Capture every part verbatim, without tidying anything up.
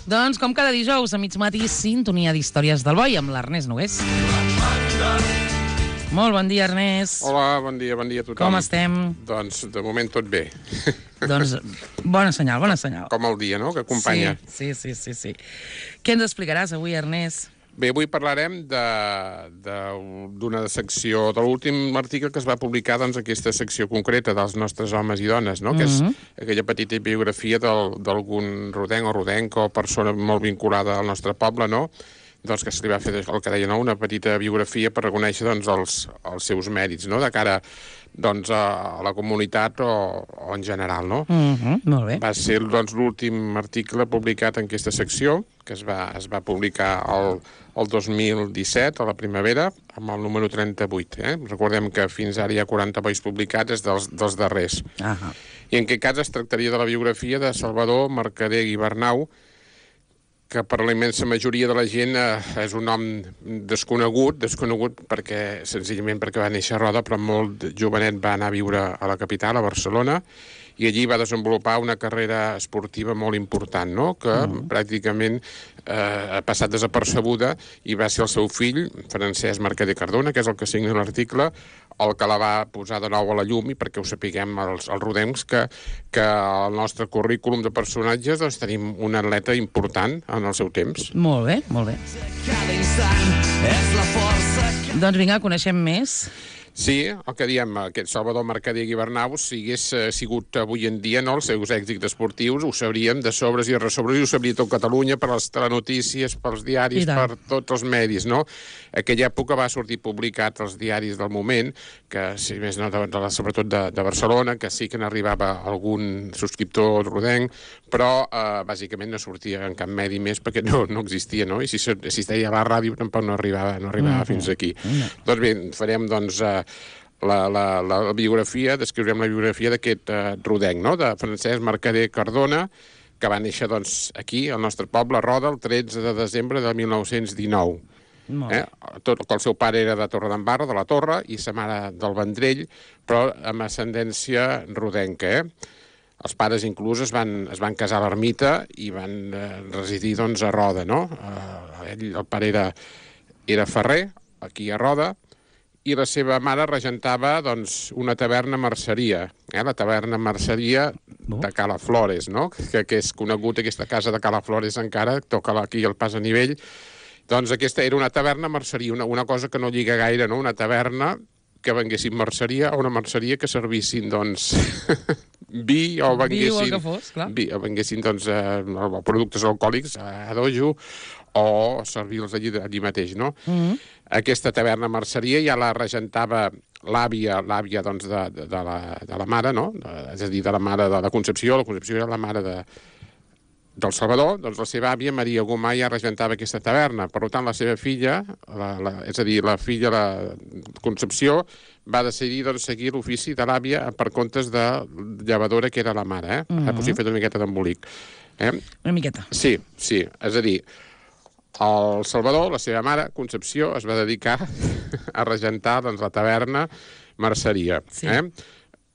Doncs, com cada dijous, a mig matí, sintonia d'Històries del Boi amb l'Ernest Nogués. Molt bon dia, Ernest. Hola, bon dia, bon dia a tothom. Com estem? Doncs, de moment, tot bé. Doncs, bona senyal, bona senyal. Com el dia, no?, que acompanya. Sí, sí, sí, sí. Què ens explicaràs avui, Ernest? Bé, avui parlarem d'una secció, de l'últim article que es va publicar, doncs, aquesta secció concreta dels nostres homes i dones, no?, que és aquella petita biografia d'algun rodenc o rodenc o persona molt vinculada al nostre poble, no?, doncs que se li va fer el que deia, no?, una petita biografia per reconèixer, doncs, els, els seus mèrits, no?, de cara, doncs, a la comunitat o, o en general, no? Mm-hmm, molt bé. Va ser, doncs, l'últim article publicat en aquesta secció, que es va, es va publicar el, el dos mil disset, a la primavera, amb el número trenta-vuit. Eh? Recordem que fins ara hi ha quaranta bois publicats, és dels, dels darrers. Ah. I en aquest cas es tractaria de la biografia de Salvador Mercader Guibernau, que per la immensa majoria de la gent eh, és un nom desconegut, desconegut perquè, senzillament perquè va néixer a Roda, però molt jovenet va anar a viure a la capital, a Barcelona, i allí va desenvolupar una carrera esportiva molt important, no?, que mm. pràcticament eh, ha passat desapercebuda, i va ser el seu fill, Francesc Mercader Cardona, que és el que signa l'article, el que la va posar de nou a la llum, i perquè ho sapiguem els, els rodencs, que, que al nostre currículum de personatges doncs, tenim un atleta important en el seu temps. Molt bé, molt bé. Doncs vinga, coneixem més. Sí, el que diem, aquest Salvador Mercader Guibernau, si hagués sigut avui en dia, no, els seus èxits esportius, ho sabríem de sobres i ressobres, i ho sabria tot Catalunya, per les telenotícies, pels diaris, per tots els medis, no? Aquella època va sortir publicat als diaris del moment, que, si més no, de, de, sobretot de, de Barcelona, que sí que n'arribava algun subscriptor rodenc, però eh, bàsicament no sortia en cap medi més perquè no, no existia, no? I si, si es deia a la ràdio tampoc no arribava, no arribava mm-hmm. fins aquí. Mm-hmm. Doncs bé, farem, doncs, eh, La, la, la biografia, descriurem la biografia d'aquest eh, rodenc, no?, de Francesc Mercader Cardona, que va néixer, doncs, aquí, al nostre poble, a Roda, el tretze de desembre de mil nou-cents dinou. Eh? Tot, el seu pare era de Torredembarra, de la Torre, i sa mare del Vendrell, però amb ascendència rodenca, eh? Els pares inclús es van, es van casar a l'ermita i van eh, residir, doncs, a Roda, no? Eh, ell, el pare era, era ferrer, aquí a Roda, i la seva mare regentava, doncs, una taverna merceria, eh? La taverna merceria de Cala Flores, no?, que, que és conegut, aquesta casa de Cala Flores encara, toca aquí el pas a nivell. Doncs aquesta era una taverna merceria, una, una cosa que no lliga gaire, no?, una taverna que venguessin merceria, o una merceria que servissin, doncs, vi, o venguessin... Vi o el que fos, clar. Vi, o venguessin, doncs, eh, productes alcohòlics a dojo, o servir-los allí, allí mateix, no? Mm-hmm. Aquesta taverna merceria ja la regentava l'àvia, l'àvia, doncs, de, de, de, la, de la mare, no? De, és a dir, de la mare de la Concepció, la Concepció era la mare de, del Salvador, doncs la seva àvia, Maria Gomà, ja regentava aquesta taverna. Per tant, la seva filla, la, la, és a dir, la filla, la Concepció, va decidir, doncs, seguir l'ofici de l'àvia per comptes de llevadora, que era la mare, eh? Mm-hmm. Potser he fet una miqueta d'embolic. Eh? Una miqueta. Sí, sí, és a dir, el Salvador, la seva mare, Concepció, es va dedicar a regentar, doncs, la taverna merceria. Sí. Eh?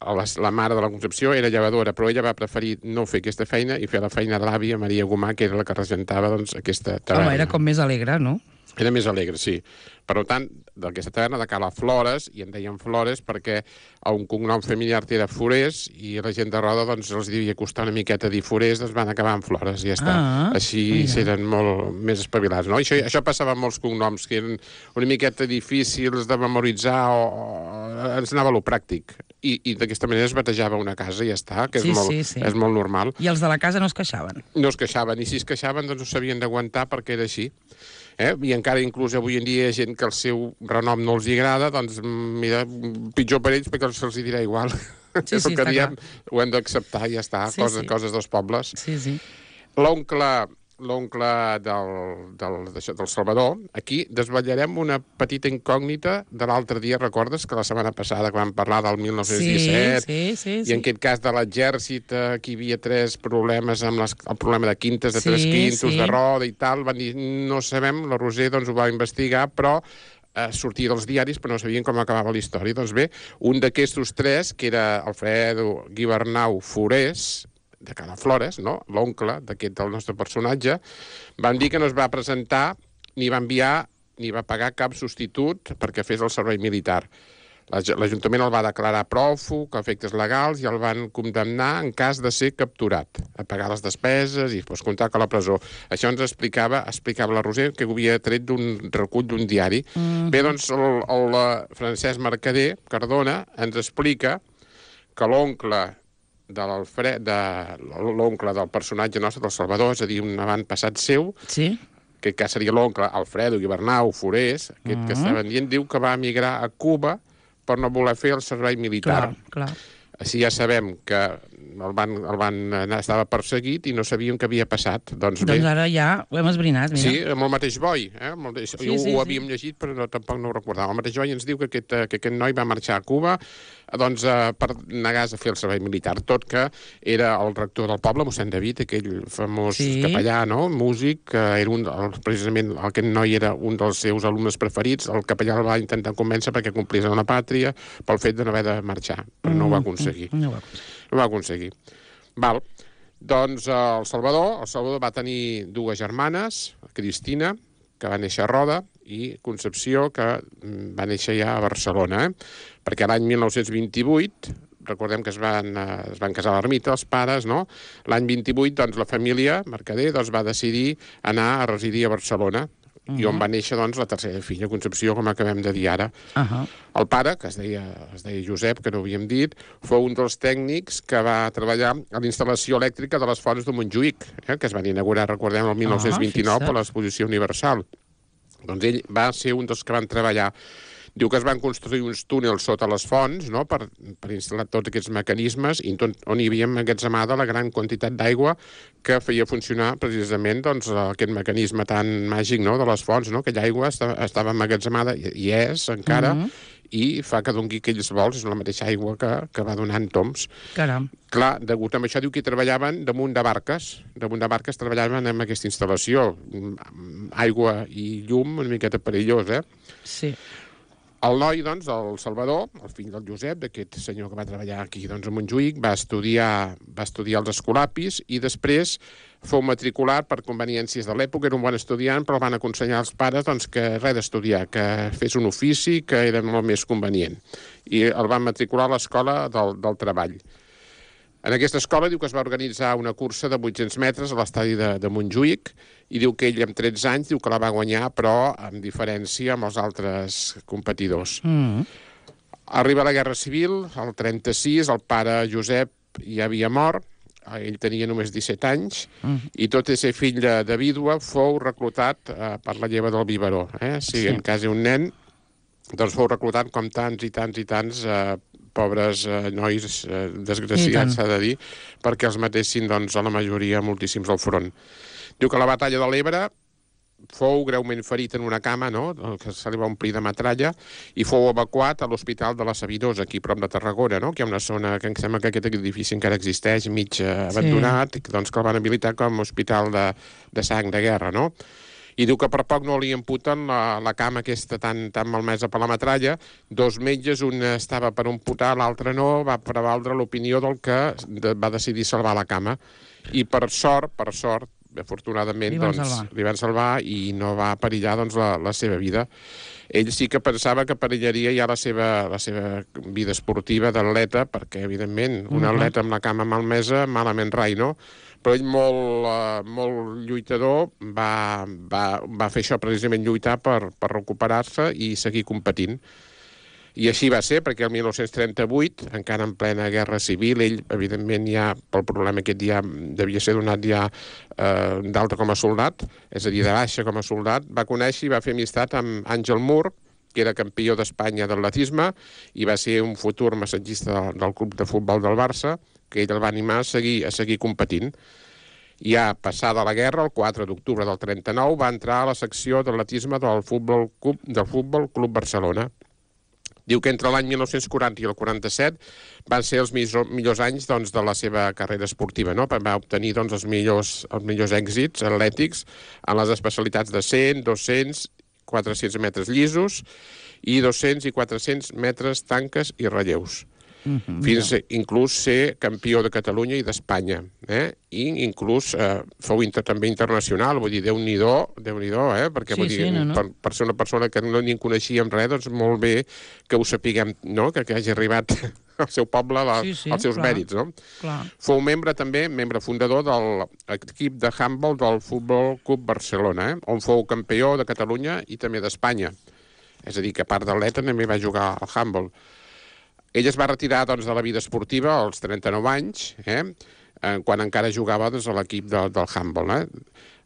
La, la mare de la Concepció era llevadora, però ella va preferir no fer aquesta feina i fer la feina de l'àvia Maria Gomà, que era la que regentava, doncs, aquesta taverna. Home, era com més alegre, no? Era més alegre, sí. Per tant, d'aquesta taverna de Cala Flores, i en deien Flores perquè un cognom familiar era Forés, i la gent de Roda, doncs, els devia costar una miqueta dir Forés, doncs van acabar amb Flores, i ja està. Ah, Així eren molt més espavilats, no? I això, això passava amb molts cognoms, que eren una miqueta difícils de memoritzar, o, o ens anava a lo pràctic. I, i d'aquesta manera es batejava una casa i ja està, que és, sí, molt, sí, sí. és molt normal. I els de la casa no es queixaven? No es queixaven, i si es queixaven, doncs ho sabien d'aguantar perquè era així. Eh? I encara inclús avui en dia hi ha gent que el seu renom no els agrada, doncs mira, pitjor per ells perquè se'ls dirà igual. Sí, és sí, el que diem, clar. ho hem d'acceptar i ja està, sí, coses, sí. coses dels pobles. Sí, sí. L'oncle l'oncle del, del, del Salvador, aquí desvetllarem una petita incògnita de l'altre dia, recordes que la setmana passada que vam parlar del mil nou-cents disset, sí, sí, sí, i en aquest cas de l'exèrcit, aquí hi havia tres problemes amb les, el problema de quintes, de sí, tres quintos, sí. de roda i tal, van dir, no sabem, la Roser doncs ho va investigar, però eh, sortia dels diaris, però no sabien com acabava la història. Doncs bé, un d'aquests tres, que era Alfredo Guibernau Forés, de Cadaflores, no? L'oncle d'aquest del nostre personatge, van dir que no es va presentar ni va enviar ni va pagar cap substitut perquè fes el servei militar. L'Ajuntament el va declarar pròfug, a efectes legals, i el van condemnar en cas de ser capturat, a pagar les despeses i pues, comptar que a la presó. Això ens explicava explicava la Roser, que ho havia tret d'un recull d'un diari. Mm-hmm. Bé, doncs, el, el Francesc Mercader Cardona ens explica que l'oncle de l'Alfred, de l'oncle del personatge nostre, del Salvador, és a dir, un avantpassat seu, sí? que, que seria l'oncle Alfredo Guibernau Forés, aquest mm-hmm. que estaven dient, diu que va emigrar a Cuba per no voler fer el servei militar. Clar, clar. Així ja sabem que el van, el van anar, estava perseguit i no sabíem què havia passat. Doncs, bé, doncs ara ja ho hem esbrinat, mira. Sí, amb el mateix boi. Eh? Amb el, sí, ho, sí, ho havíem sí. llegit, però no, tampoc no ho recordàvem. El mateix boi ens diu que aquest, que aquest noi va marxar a Cuba doncs, eh, per negar-se a fer el servei militar, tot que era el rector del poble, mossèn David, aquell famós sí. capellà, no? Músic, que era un, el, precisament aquest noi era un dels seus alumnes preferits. El capellà el va intentar convèncer perquè complís amb la pàtria pel fet de no haver de marxar, però mm, no ho va aconseguir. No ho va aconseguir. No ho va aconseguir. Val. Doncs eh, el Salvador, el Salvador va tenir dues germanes, Cristina, que va néixer a Roda, i Concepció, que va néixer ja a Barcelona, eh? Perquè l'any mil nou-cents vint-i-vuit, recordem que es van, eh, es van casar a l'ermita, els pares, no? L'any vint-i-vuit, doncs, la família Mercader doncs, va decidir anar a residir a Barcelona, uh-huh. i on va néixer doncs, la tercera filla, Concepció, com acabem de dir ara. Uh-huh. El pare, que es deia, es deia Josep, que no ho havíem dit, fou un dels tècnics que va treballar a la instal·lació elèctrica de les fonts de Montjuïc, eh, que es van inaugurar, recordem, el mil nou-cents vint-i-nou uh-huh, per l'Exposició Universal. Doncs ell va ser un dels que van treballar. Diu que es van construir uns túnels sota les fonts, no?, per, per instal·lar tots aquests mecanismes i tot, on hi havia emmagatzemada la gran quantitat d'aigua que feia funcionar precisament doncs, aquest mecanisme tan màgic, no?, de les fonts, no?, aquella aigua estava, estava emmagatzemada i, i és encara, mm-hmm. i fa que doni aquells vols, és la mateixa aigua que, que va donant tombs. Caram. Clar, degut a això diu que treballaven damunt de barques, damunt de barques treballaven en aquesta instal·lació. Aigua i llum una miqueta perillós, eh? Sí. El noi, doncs, el Salvador, el fill del Josep, d'aquest senyor que va treballar aquí doncs, a Montjuïc, va estudiar, va estudiar els escolapis i després fou matriculat per conveniències de l'època, era un bon estudiant, però el van aconsellar als pares doncs, que res d'estudiar, que fes un ofici que era molt més convenient. I el van matricular a l'escola del, del treball. En aquesta escola diu que es va organitzar una cursa de vuit-cents metres a l'estadi de, de Montjuïc i diu que ell amb tretze anys diu que la va guanyar, però amb diferència amb els altres competidors. Mm. Arriba la Guerra Civil, el trenta-sis, el pare Josep ja havia mort, ell tenia només disset anys, mm. i tot i ser fill de, de vídua fou reclutat eh, per la lleva del biberó. Eh? Si sí. En cas un nen, doncs fou reclutat com tants i tants i tants eh, pobres eh, nois eh, desgraciats, s'ha de dir, perquè els matessin, doncs, a la majoria, moltíssims al front. Diu que la batalla de l'Ebre fou greument ferit en una cama, no?, que se li va omplir de metralla, i fou evacuat a l'Hospital de la Sabidors, aquí prop de Tarragona, no?, que hi ha una zona que em sembla que aquest edifici encara existeix, mig eh, abandonat, sí. doncs que el van habilitar com a hospital de, de sang de guerra, no?, i diu que per poc no li amputen la, la cama aquesta tan, tan malmesa per la metralla. Dos metges, un estava per amputar, l'altre no, va prevaldre l'opinió del que de, va decidir salvar la cama. I per sort, per sort, afortunadament, li van, doncs, salvar. li van salvar i no va perillar doncs, la, la seva vida. Ell sí que pensava que perillaria ja la seva, la seva vida esportiva d'atleta, perquè, evidentment, un atleta amb la cama malmesa, malament rai, no? Però ell, molt, uh, molt lluitador, va, va, va fer això, precisament lluitar per, per recuperar-se i seguir competint. I així va ser, perquè el mil nou-cents trenta-vuit, encara en plena guerra civil, ell, evidentment, ja, pel problema aquest ja devia ser donat ja eh, d'alta com a soldat, és a dir, de baixa com a soldat, va conèixer i va fer amistat amb Àngel Mur, que era campió d'Espanya d'atletisme, i va ser un futur massatgista del, del club de futbol del Barça, que ell el va animar a seguir, a seguir competint. Ja passada la guerra, el quatre d'octubre del trenta-nou, va entrar a la secció d'atletisme del Futbol Club, del Futbol Club Barcelona. Diu que entre l'any mil nou-cents quaranta i el quaranta-set van ser els millors, millors anys doncs, de la seva carrera esportiva, no? Va obtenir doncs, els, millors, els millors èxits atlètics en les especialitats de cent, dos-cents, quatre-cents metres llisos i dos-cents i quatre-cents metres tanques i relleus. Uh-huh, fins a, inclús ser campió de Catalunya i d'Espanya. Eh? I inclús eh, fou inter, també internacional, vull dir, Déu-n'hi-do, Déu-n'hi-do, eh? Perquè sí, vull dir, sí, no, no. Per, per ser una persona que no ni en coneixíem res, doncs molt bé que ho sapiguem, no? que, que hagi arribat al seu poble la, sí, sí, als seus clar, mèrits. No? Clar. Fou membre també, membre fundador de l'equip de handball del Futbol Club Barcelona, eh? on fou campió de Catalunya i també d'Espanya. És a dir, que a part d'atleta també va jugar al handball. Ell es va retirar doncs, de la vida esportiva als trenta-nou anys, eh? quan encara jugava doncs, a l'equip de, del handball. Eh?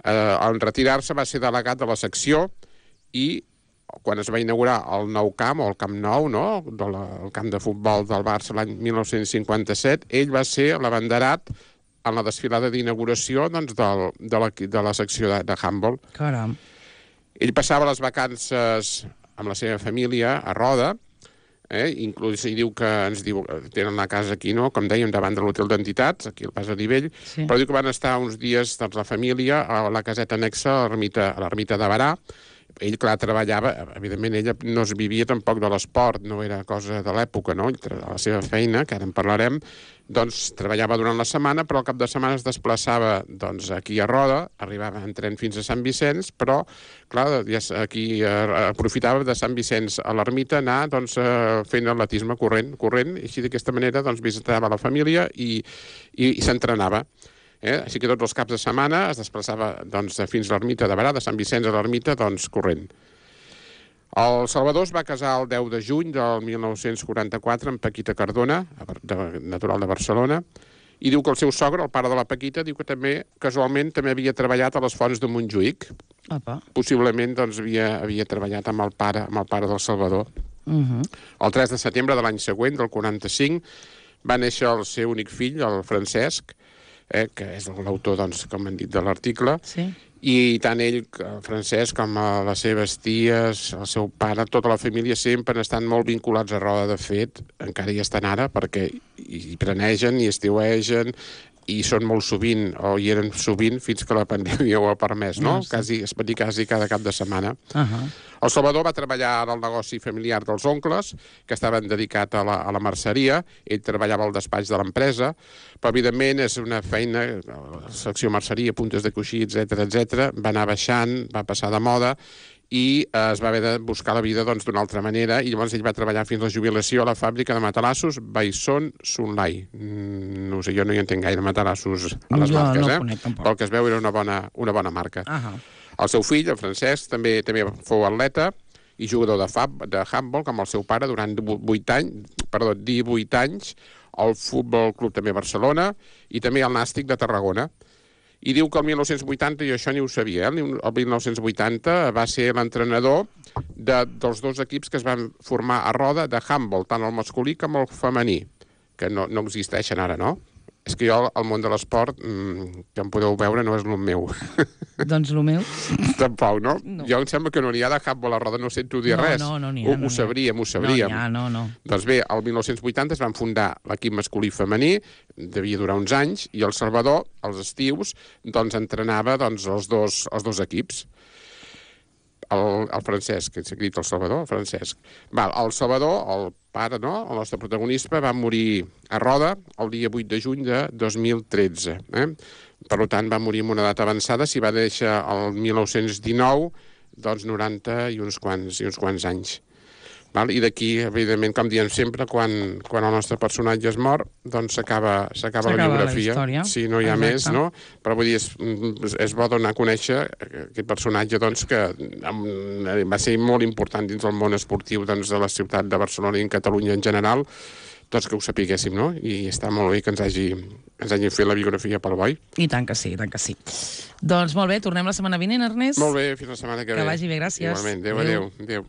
Eh, en retirar-se va ser delegat de la secció i quan es va inaugurar el nou camp, o el Camp Nou, no? de la, el camp de futbol del Barça l'any mil nou-cents cinquanta-set, ell va ser l'abanderat en la desfilada d'inauguració doncs, del, de, la, de la secció de, de handball. Caram. Ell passava les vacances amb la seva família a Roda, eh? inclús ell diu que ens diu, tenen la casa aquí, no? com dèiem, davant de l'hotel d'entitats, aquí al Pas a Nivell, sí. però diu que van estar uns dies doncs, la família a la caseta anexa a l'ermita de Barà. Ell, clar, treballava, evidentment, ella no es vivia tampoc de l'esport, no era cosa de l'època, no? La seva feina, que ara en parlarem, doncs treballava durant la setmana, però al cap de setmana es desplaçava doncs, aquí a Roda, arribava en tren fins a Sant Vicenç, però, clar, ja aquí eh, aprofitava de Sant Vicenç a l'ermita anar doncs, eh, fent atletisme corrent, corrent, i així d'aquesta manera doncs, visitava la família i, i, i s'entrenava. Eh? Així que tots els caps de setmana es desplaçava doncs, fins a l'ermita de Barà, de Sant Vicenç a l'ermita, doncs, corrent. El Salvador es va casar el deu de juny del mil nou-cents quaranta-quatre amb Paquita Cardona, de, natural de Barcelona, i diu que el seu sogre, el pare de la Paquita, diu que també, casualment, també havia treballat a les Fonts de Montjuïc. Apa. Possiblement doncs, havia, havia treballat amb el pare, amb el pare del Salvador. Uh-huh. El tres de setembre de l'any següent, del quaranta-cinc, va néixer el seu únic fill, el Francesc, Eh, que és l'autor, doncs, com hem dit, de l'article, sí. i tant ell, el Francesc, com a les seves ties, el seu pare, tota la família sempre han estat molt vinculats a Roda. De fet, encara hi estan ara, perquè hi prenegen, hi estiuegen, i són molt sovint, o hi eren sovint, fins que la pandèmia ho ha permès, no? Sí. Quasi, es pot dir quasi cada cap de setmana. Uh-huh. El Salvador va treballar en el negoci familiar dels oncles, que estaven dedicats a la, a la merceria. Ell treballava al despatx de l'empresa, però, evidentment, és una feina, la secció merceria, puntes de coixí, etcètera, etcètera, va anar baixant, va passar de moda, i eh, es va haver de buscar la vida doncs, d'una altra manera, i llavors ell va treballar fins a la jubilació a la fàbrica de matalassos Baisson Sunlai. Mm, no sé, jo no hi entenc gaire matalassos a les jo marques, no eh? Conec, però el que es veu era una bona, una bona marca. Uh-huh. El seu fill, el Francesc, també també fou atleta i jugador de, fab, de handball, com el seu pare, durant vuit anys, perdó, divuit anys, al Futbol Club també Barcelona, i també al Nàstic de Tarragona. I diu que el mil nou-cents vuitanta, i això ni ho sabia, eh? el mil nou-cents vuitanta va ser l'entrenador de, dels dos equips que es van formar a Roda de handball, tant el masculí com el femení, que no, no existeixen ara, no? És que jo, el món de l'esport, mmm, que em podeu veure, no és el meu. Doncs el meu? Tampoc, no? no? Jo em sembla que no n'hi ha de handball a Roda, no sento dir no, res. No, no n'hi ha. Ho, no ho sabríem, ho sabríem. No n'hi ha, no, no. Doncs bé, el mil nou-cents vuitanta es van fundar l'equip masculí i femení, devia durar uns anys, i el Salvador, als estius, doncs entrenava doncs, els, dos, els dos equips. El, el Francesc, que s'ha dit el Salvador, el Francesc. Val, el Salvador, el pare, no?, el nostre protagonista, va morir a Roda el dia vuit de juny de dos mil tretze. Eh? Per tant, va morir en una data avançada, s'hi va deixar el mil nou-cents dinou, doncs noranta i uns quants, i uns quants anys. Val? I d'aquí, evidentment, com diem sempre, quan, quan el nostre personatge es mor, doncs s'acaba la biografia. La sí, no hi ha Exacte. Més, no? Però vull dir, és, és bo donar a conèixer aquest personatge doncs, que va ser molt important dins el món esportiu doncs, de la ciutat de Barcelona i en Catalunya en general, tots que ho sapiguéssim, no? I està molt bé que ens hagi, ens hagi fet la biografia pel Boi. I tant que sí, i tant que sí. Doncs molt bé, tornem la setmana vinent, Ernest. Molt bé, fins la setmana que, que ve. Que vagi bé, gràcies. Igualment, adéu, adéu. adéu.